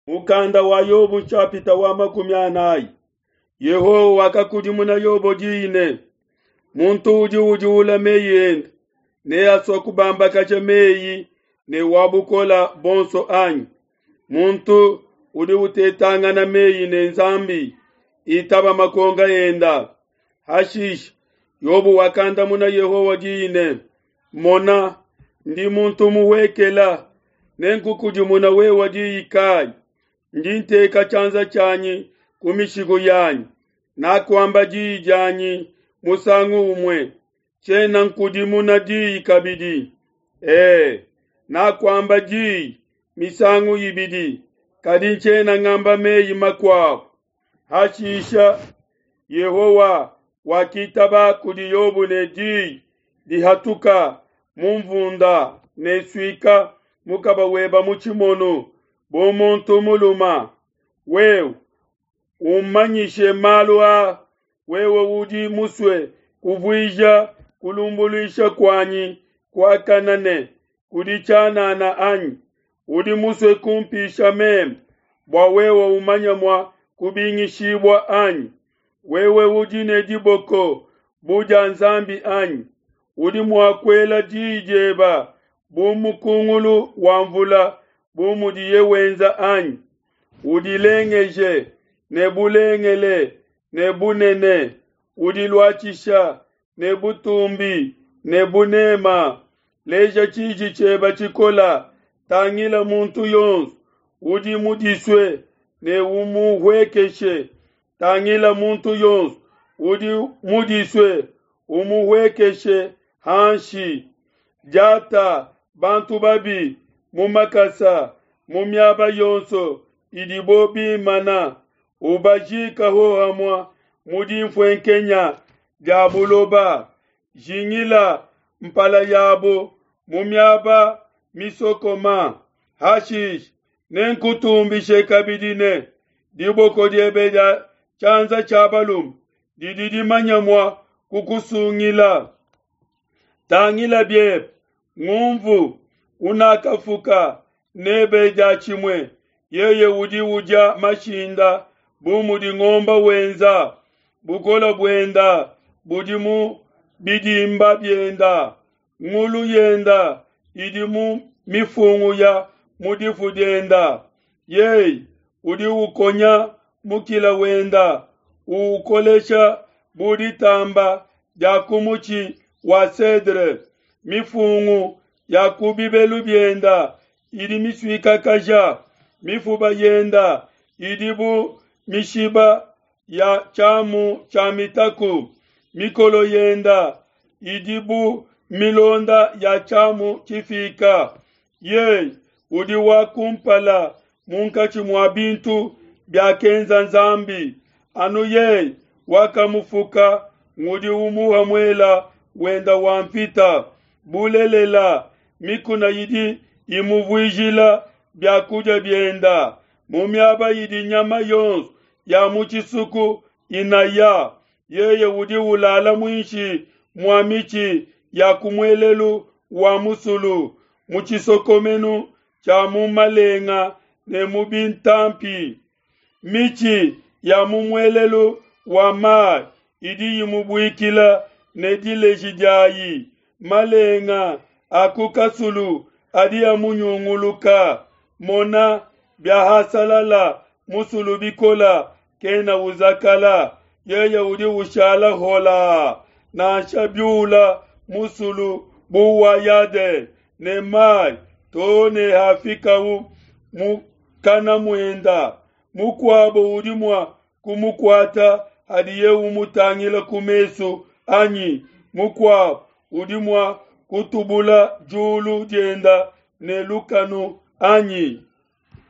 Mukanda wa Yobo nshapita wa 40. Yehowa wakakudimuna Yobo diyi ne, Muntu udi udiula meyi ende neasua kubambakaja meyi ne wa bukole buonso anyi? Muntu udi utetangana meyi ne Nzambi itaba makonga enda. Hashishe Yobo wakandamuna Yehowa diyi ne, Mona, ndi muntu muhuekela, nenkukudimuna wewe diyi kayi? Ndi nteka tshianza tshianyi ku mishiku yanyi, nakuamba diyi dianyi musangu umue, tshiena nkudimuna diyi kabidi. E, nakuamba diyi misangu ibidi, kadi ntshiena ngamba meyi makuabo. Hashisha Yehowa wakitaba kudi Yobo ne diyi dihatuka mu nvunda ne suika mukaba weba mu tshimono bu muntu mulume. Wewe ummanyishe malu a, wewe udi musue kuvuija kulumbuluisha kuanyi kuakane ne kudi tshianana anyi? Udi musue kumpisha meme bua wewe umanye mua kubingishibua anyi? Wewe udi ne diboko bu dia Nzambi anyi? Udi mua kuela diyi dieba bu mukungulu wa mvula bu mudiye wenza anyi? Udilengeje ne bulengele ne bunene, udiluatshisha ne butumbi ne bunema. Leja tshiji tshieba tshikola, tangila muntu yonso udi mudisue ne umuhuekeshe. Tangila muntu yonso udi mudisue umuhuekeshe hanshi. Diata bantu babi mu makasa mu miaba yonso idibo bimana, ubajika hohamue mu dinfuenkenya dia buloba. Jingila mpala yabo mu miaba misokoma. Hashishe nenkutumbishe kabidi ne diboko diebe dia tshianza tshia balume didi dimanya mua kukusungila. Tangila biebe ngumvu unakafuka nebe diatshimue, yeye udi udia mashinda bu mudi ngomba wenza. Bukole buenda budi mu bidimba bienda, ngulu yenda idi mu mifungu ya mu difu dienda. Yeye udi ukonya mukila wenda, uukolesha bu ditamba dia ku mutshi wa cedre. Mifungu ya ku bibelu bienda idi misuikakaja, mifuba yenda idi bu mishiba ya tshiamu tshia mitaku, mikolo yenda idi bu milonda ya tshiamu tshifika. Yeye udi wa kumpala munkatshi mua bintu biakenza Nzambi, anu yeye wakamufuka ngudi umuha muela wenda wa mvita. Bulelela, mikuna idi imuvuijila biakudia bienda, mu miaba idi nyama yonso ya mu tshisuku inaya. Yeye udi ulala muinshi mua mitshi ya ku muelelu wa musulu, mu tshisokomenu tshia mu malenga ne mu bintampi. Mitshi ya mu muelelu wa mayi idi imubuikila ne dileji diayi, malenga a ku kasulu adi amunyunguluka. Mona, biahasalala musulu bikola, kena uzakala, yeye udi ushala hola. Nansha biula musulu bu wa Yadene ne mayi too ne hafikau mukana muenda. Mukuabo udi mua kumukuata hadiye umutangila ku mesu anyi? Mukuabo udi mua kutubula diulu dienda ne lukanu anyi?